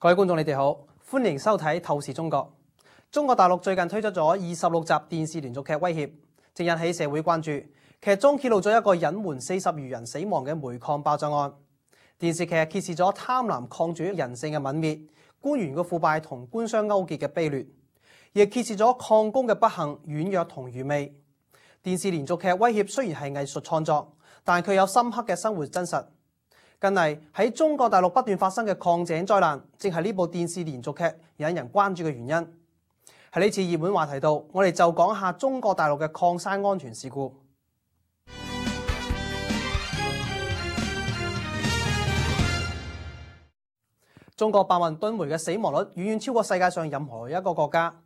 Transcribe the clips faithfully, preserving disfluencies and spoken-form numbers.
各位觀眾，你哋好，歡迎收睇《透視中國》。中國大陸最近推出咗二十六集電視連續劇《威脅》，正引起社會關注。劇中揭露咗一個隱瞞四十餘人死亡嘅煤礦爆炸案。電視劇揭示咗貪婪抗拒人性嘅泯滅、官員嘅腐敗同官商勾結嘅卑劣，亦揭示咗礦工嘅不幸、軟弱同愚昧。電視連續劇《威脅》雖然係藝術創作，但佢有深刻嘅生活真實。近嚟喺中國大陸不斷發生嘅礦井災難，正係呢部電視連續劇引人關注嘅原因。喺呢次熱門話題度，我哋就講下中國大陸嘅礦山安全事故。中國百萬噸煤嘅死亡率遠遠超過世界上任何一個國家。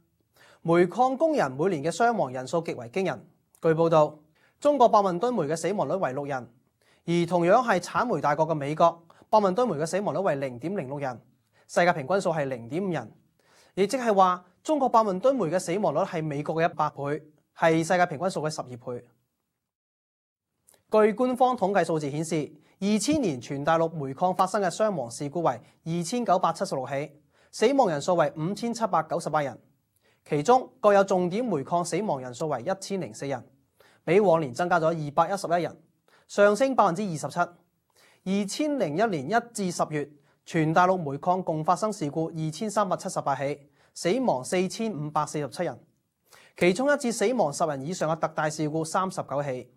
煤礦工人每年嘅傷亡人數極為驚人。據報道，中國百萬噸煤嘅死亡率為六人。而同樣係產煤大國嘅美國，百萬噸煤嘅死亡率為零點零六人，世界平均數係零點五人，亦即係話中國百萬噸煤嘅死亡率係美國嘅一百倍，係世界平均數嘅十二倍。據官方統計數字顯示，二千年全大陸煤礦發生嘅傷亡事故為二千九百七十六起，死亡人數為五千七百九十八人，其中各有重點煤礦死亡人數為一千零四人，比往年增加咗二百一十一人。上升百分之二十七。二千零一年一至十月，全大陸煤礦共發生事故二千三百七十八起，死亡四千五百四十七人，其中一致死亡十人以上嘅特大事故三十九起。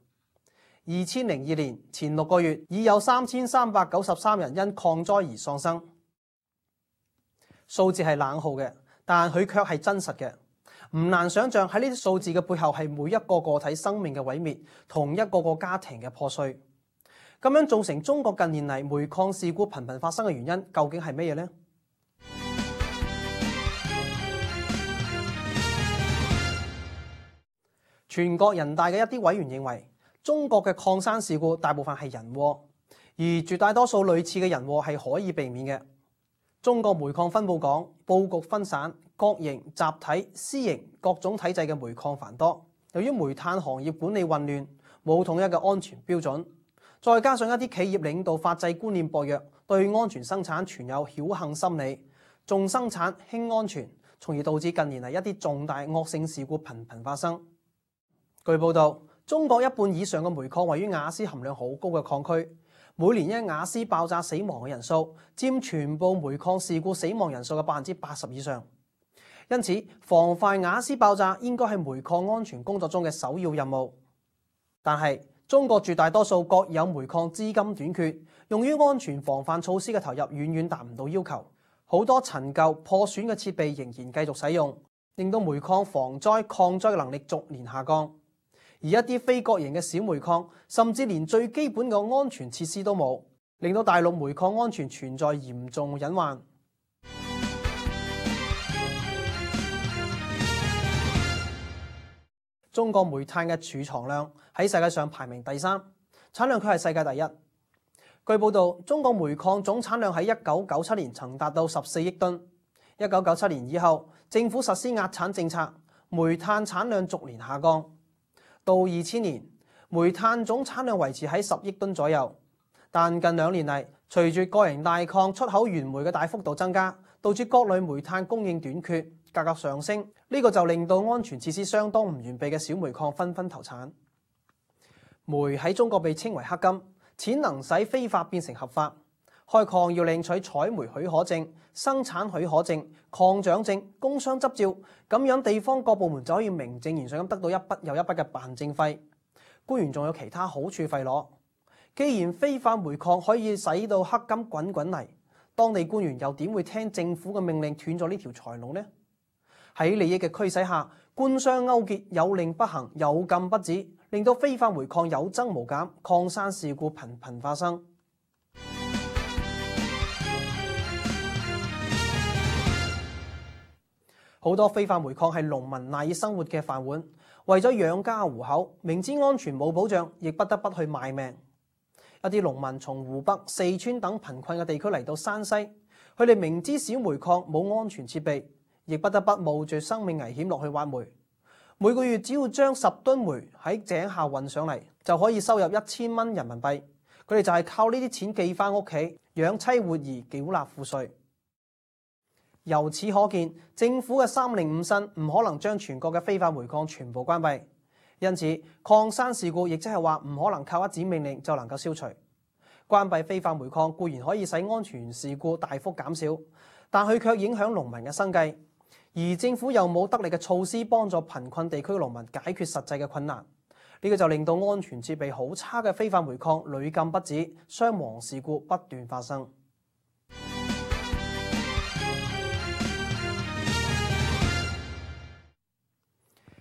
二千零二年前六個月已有三千三百九十三人因礦災而喪生。數字係冷酷嘅，但佢卻係真實嘅。唔難想象喺呢啲數字嘅背後係每一個個體生命嘅毀滅，同一個個家庭嘅破碎。咁樣造成中國近年嚟煤礦事故頻頻發生嘅原因，究竟係乜嘢呢？全國人大嘅一啲委員認為，中國嘅礦山事故大部分係人禍，而絕大多數類似嘅人禍係可以避免嘅。中國煤礦分佈廣，佈局分散，國營、集體、私營各種體制嘅煤礦繁多。由於煤炭行業管理混亂，冇統一嘅安全標準，再加上一啲企業領導法制觀念薄弱，對安全生產存有僥倖心理，重生產輕安全，從而導致近年嚟一啲重大惡性事故頻頻發生。據報道，中國一半以上嘅煤礦位於瓦斯含量好高嘅礦區。每年因瓦斯爆炸死亡嘅人數佔全部煤礦事故死亡人數嘅百分之八十以上，因此防範瓦斯爆炸應該係煤礦安全工作中嘅首要任務。但係中國絕大多數國有煤礦資金短缺，用於安全防範措施嘅投入遠遠達唔到要求，好多陳舊破損嘅設備仍然繼續使用，令到煤礦防災抗災嘅能力逐年下降。而一啲非國營嘅小煤礦，甚至連最基本嘅安全設施都冇，令到大陸煤礦安全存在嚴重隱患。中國煤炭嘅儲藏量喺世界上排名第三，產量卻係世界第一。據報道，中國煤礦總產量喺一九九七年曾達到十四億噸。一九九七年以後，政府實施壓產政策，煤炭產量逐年下降。到二千年，煤炭總產量維持喺十億噸左右，但近兩年嚟，隨住國營大礦出口原煤嘅大幅度增加，導致各類煤炭供應短缺，價格上升，呢個就令到安全設施相當唔完備嘅小煤礦紛紛投產。煤喺中國被稱為黑金，錢能使非法變成合法。開礦要領取採煤許可證、生產許可證、礦長證、工商執照，咁樣地方各部門就可以名正言順咁得到一筆又一筆嘅辦證費。官員仲有其他好處費攞。既然非法煤礦可以使到黑金滾滾嚟，當地官員又點會聽政府嘅命令斷咗呢條財路呢？喺利益嘅驅使下，官商勾結有令不行，有禁不止，令到非法煤礦有增無減，礦山事故頻頻發生。好多非法煤礦係農民賴以生活嘅飯碗，為咗養家糊口，明知安全冇保障，亦不得不去賣命。一啲農民從湖北、四川等貧困嘅地區嚟到山西，佢哋明知小煤礦冇安全設備，亦不得不冒住生命危險落去挖煤。每個月只要將十噸煤喺井下運上嚟，就可以收入一千蚊人民幣。佢哋就係靠呢啲錢寄翻屋企養妻活兒，繳納賦稅。由此可見，政府嘅三令五申唔可能將全國嘅非法煤礦全部關閉，因此礦山事故亦即係話唔可能靠一紙命令就能夠消除。關閉非法煤礦固然可以使安全事故大幅減少，但佢卻影響農民嘅生計，而政府又冇得力嘅措施幫助貧困地區嘅農民解決實際嘅困難，呢、這個就令到安全設備好差嘅非法煤礦屢禁不止，傷亡事故不斷發生。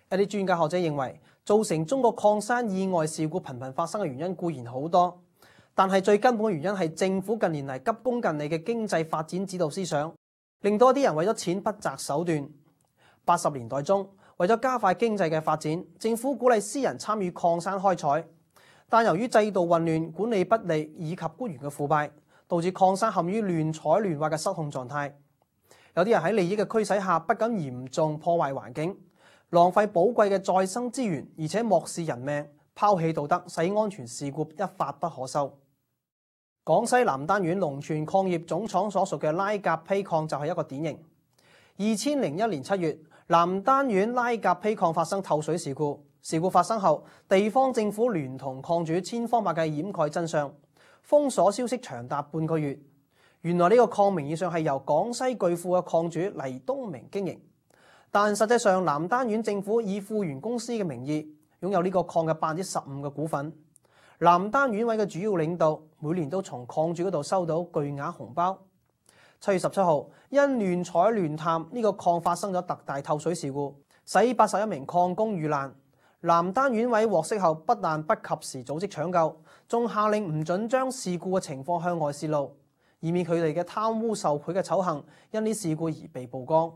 一啲專家學者認為，造成中國礦山意外事故頻頻發生嘅原因固然好多，但係最根本嘅原因係政府近年嚟急功近利嘅經濟發展指導思想，令到一啲人為咗錢不擇手段。八十年代中，為咗加快經濟嘅發展，政府鼓勵私人參與礦山開採，但由於制度混亂、管理不力以及官員嘅腐敗，導致礦山陷於亂採亂挖嘅失控狀態。有啲人喺利益嘅驅使下，不僅嚴重破壞環境，浪費寶貴嘅再生資源，而且漠視人命、拋棄道德，使安全事故一發不可收。廣西南丹縣龍泉礦業總廠所屬嘅拉甲坯礦就係一個典型。二千零一年七月，南丹縣拉甲坯礦發生透水事故。事故發生後，地方政府聯同礦主千方百計掩蓋真相，封鎖消息長達半個月。原來呢個礦名義上係由廣西巨富嘅礦主黎東明經營，但實際上南丹縣政府以富源公司嘅名義擁有呢個礦嘅百分之十五嘅股份。南丹縣委嘅主要領導每年都從礦主嗰度收到巨額紅包。七月十七號，因亂採亂探，呢個礦發生咗特大透水事故，使八十一名礦工遇難。南丹縣委獲悉後，不但不及時組織搶救，仲下令唔准將事故嘅情況向外泄露，以免佢哋嘅貪污受賄嘅醜行因呢事故而被曝光。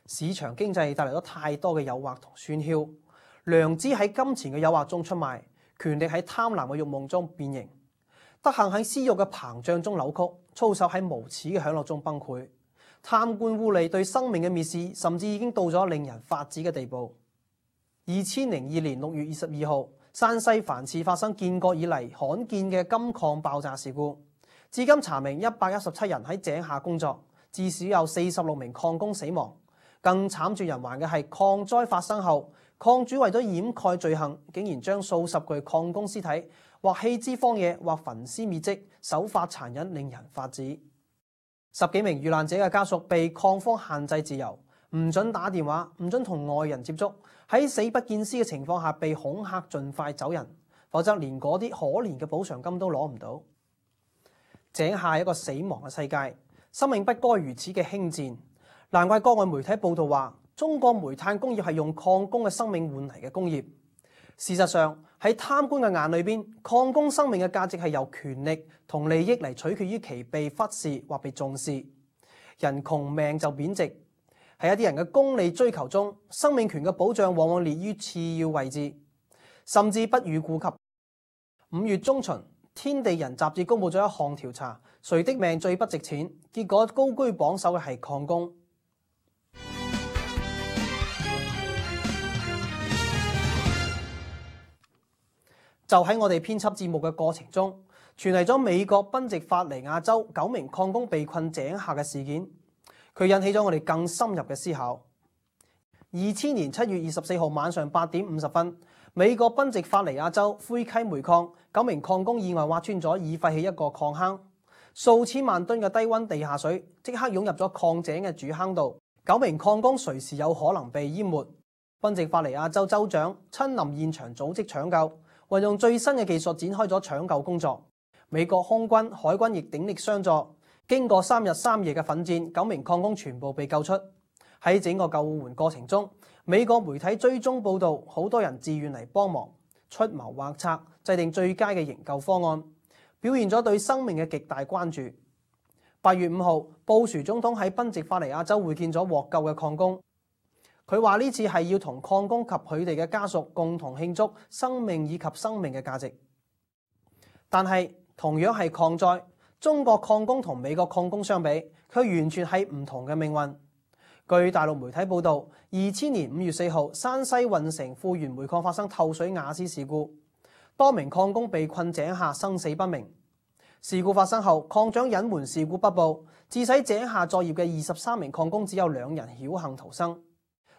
市場經濟帶嚟咗太多嘅誘惑同喧囂，良知喺金錢嘅誘惑中出賣，權力喺貪婪嘅慾望中變形，德行喺私慾嘅膨脹中扭曲，操守喺無恥嘅享樂中崩潰，貪官污吏對生命嘅蔑視，甚至已經到咗令人髮指嘅地步。二千零二年六月二十二號，山西繁峙發生建國以嚟罕見嘅金礦爆炸事故，至今查明一百一十七人喺井下工作，至少有四十六名礦工死亡。更慘絕人寰嘅係礦災發生後，礦主為咗掩蓋罪行，竟然將數十具礦工屍體或棄之荒野，或焚屍滅跡，手法殘忍，令人髮指。十幾名遇難者嘅家屬被礦方限制自由，唔准打電話，唔准同外人接觸，喺死不見屍嘅情況下被恐嚇盡快走人，否則連嗰啲可憐嘅補償金都攞唔到。井下係一個死亡嘅世界，生命不該如此嘅輕賤。難怪國外媒體報道話，中國煤炭工業係用礦工嘅生命換嚟嘅工業。事實上，喺貪官嘅眼裏邊，礦工生命嘅價值係由權力同利益嚟取決於其被忽視或被重視。人窮命就貶值，喺一啲人嘅功利追求中，生命權嘅保障往往列於次要位置，甚至不予顧及。五月中旬，《天地人》雜誌公佈咗一項調查，誰的命最不值錢？結果高居榜首嘅係礦工。就喺我哋編輯節目嘅過程中，傳嚟咗美國賓夕法尼亞州九名礦工被困井下嘅事件，佢引起咗我哋更深入嘅思考。二千年七月二十四號晚上八點五十分，美國賓夕法尼亞州灰溪煤礦九名礦工意外挖穿咗已廢棄一個礦坑，數千萬噸嘅低溫地下水即刻湧入咗礦井嘅主坑度，九名礦工隨時有可能被淹沒。賓夕法尼亞州州長親臨現場組織搶救，運用最新嘅技術展開咗搶救工作。美國空軍、海軍亦鼎力相助，經過三日三夜嘅奮戰，九名礦工全部被救出。喺整個救援過程中，美國媒體追蹤報道，好多人自願嚟幫忙，出謀劃策，制定最佳嘅營救方案，表現咗對生命嘅極大關注。八月五號，布殊總統喺賓夕法尼亞州會見咗獲救嘅礦工。佢話呢次係要同礦工及佢哋嘅家屬共同慶祝生命以及生命嘅價值。但係同樣係礦災，中國礦工同美國礦工相比，佢完全係唔同嘅命運。據大陸媒體報道，二千年五月四號，山西運城富源煤礦發生透水瓦斯事故，多名礦工被困井下，生死不明。事故發生後，礦長隱瞞事故不報，致使井下作業嘅二十三名礦工只有兩人僥倖逃生。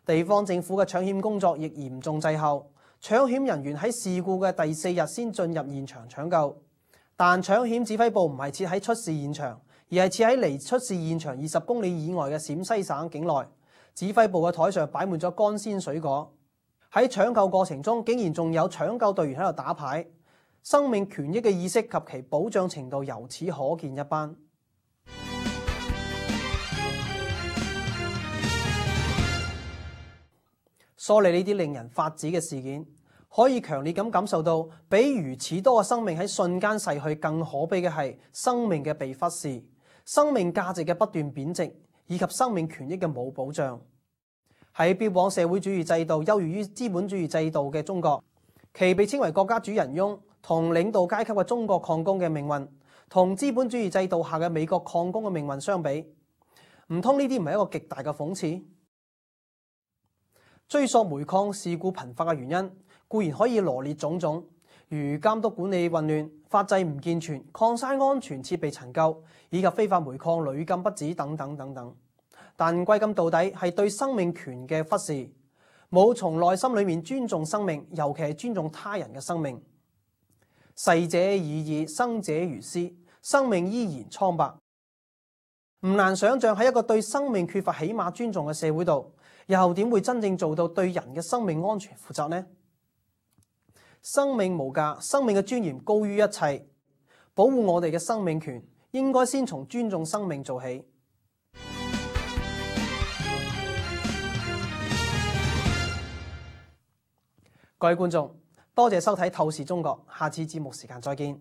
地方政府嘅搶險工作亦嚴重滯後，搶險人員喺事故嘅第四日先進入現場搶救。但搶險指揮部唔係設喺出事現場，而係設喺離出事現場二十公里以外嘅陝西省境內。指揮部嘅台上擺滿咗乾鮮水果。喺搶救過程中，竟然仲有搶救隊員喺度打牌，生命權益嘅意識及其保障程度由此可見一斑。梳理呢啲令人髮指嘅事件，可以強烈咁感受到，比如此多嘅生命喺瞬間逝去更可悲嘅係生命嘅被忽視，生命價值嘅不斷貶值，以及生命權益嘅冇保障。喺標榜社會主義制度優越於資本主義制度嘅中國，其被稱為國家主人翁同領導階級嘅中國礦工嘅命運，同資本主義制度下嘅美國礦工嘅命運相比，唔通呢啲唔係一個極大嘅諷刺？追溯煤礦事故頻發嘅原因，固然可以羅列種種，如監督管理混亂、法制唔健全、礦山安全設備陳舊，以及非法煤礦屢禁不止等等等等。但歸根到底係對生命權嘅忽視，冇從內心裏面尊重生命，尤其係尊重他人嘅生命。逝者已矣，生者如斯，生命依然蒼白。唔難想象喺一個對生命缺乏起碼尊重嘅社會度，又點會真正做到對人嘅生命安全負責呢？生命無價，生命嘅尊嚴高於一切。保護我哋嘅生命權，應該先從尊重生命做起。各位觀眾，多謝收睇《透視中國》，下次節目時間再見。